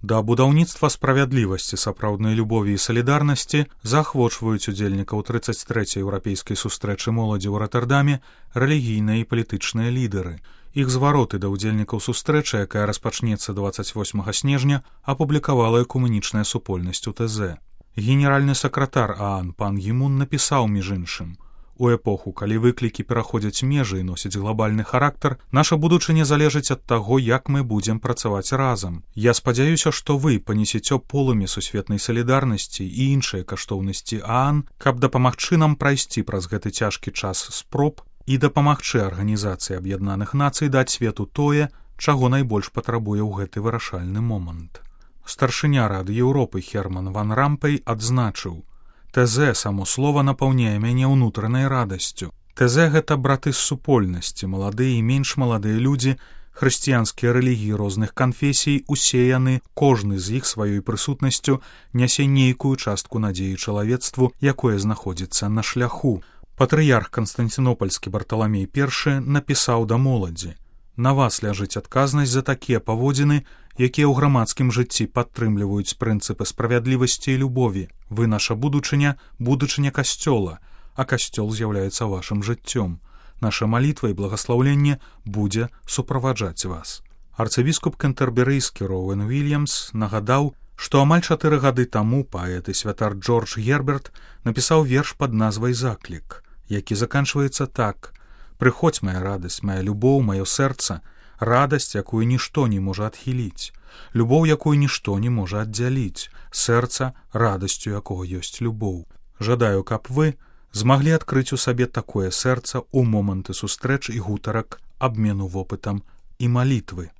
Да будаўніцтва справядлівасці, сапраўднай любові і салідарнасці заахвочваюць удзельнікаў 33-й еўрапейскай сустрэчы моладзі ў Ротэрдаме рэлігійныя і палітычныя лідары. Іх звароты да ўдзельнікаў сустрэчы, якая распачнецца 28 снежня, апублікавала экумэнічная супольнасць УТЗ. Генеральны сакратар ААН пан Гі Мун напісаў, між іншым: «У эпоху, калі выклікі пераходзяць межы і носяць глобальны характар, наша будучыня залежыць ад таго, як мы будзем працаваць разам. Я спадзяюся, што вы панесеце полымя сусветнай салідарнасці і іншыя каштоўнасці ААН, каб дапамагчы нам прайсці праз гэты цяжкі час спроб і дапамагчы Арганізацыі Аб'яднаных Нацый даць свету тое, чаго найбольш патрабуе ў гэты вырашальны момант». Старшыня Рады Еўропы Херман ван Рампей адзначыў: «ТЗ, само слова, напаўняе мяне ўнутранай радасцю. ТЗ — гэта браты з супольнасці, маладыя і менш маладыя людзі, хрысціянскія рэлігіі розных канфесій, усе яны, кожны з іх сваёй прысутнасцю нясе нейкую частку надзеі чалавецтву, якое знаходзіцца на шляху». Патрыярх Канстанцінопальскі Барталамей I напісаў да моладзі: «На вас ляжыць адказнасць за такія паводзіны, якія ў грамадскім жыцці падтрымліваюць прынцыпы справядлівасці і любові. Вы наша будучыня, будучыня касцёла, а касцёл з'яўляецца вашым жыццём. Наша малітва і благаслаўленне будзе суправаджаць вас». Арцыбіскуп кэнтэрберыйскі Роуэн Уільямс нагадаў, што амаль 4 гады таму паэт і святар Джордж Герберт напісаў верш пад назвай «Заклік», які заканчваецца так: «Прыходзь, моя радасць, моя любоў, маё сэрца, радасць, якую нішто не можа адхіліць, любоў, якую нішто не можа аддзяліць, сэрца, радасцю якога ёсць любоў. Жадаю, каб вы змаглі адкрыць у сабе такое сэрца ў моманты сустрэч і гутарак, абмену вопытам і малітвы».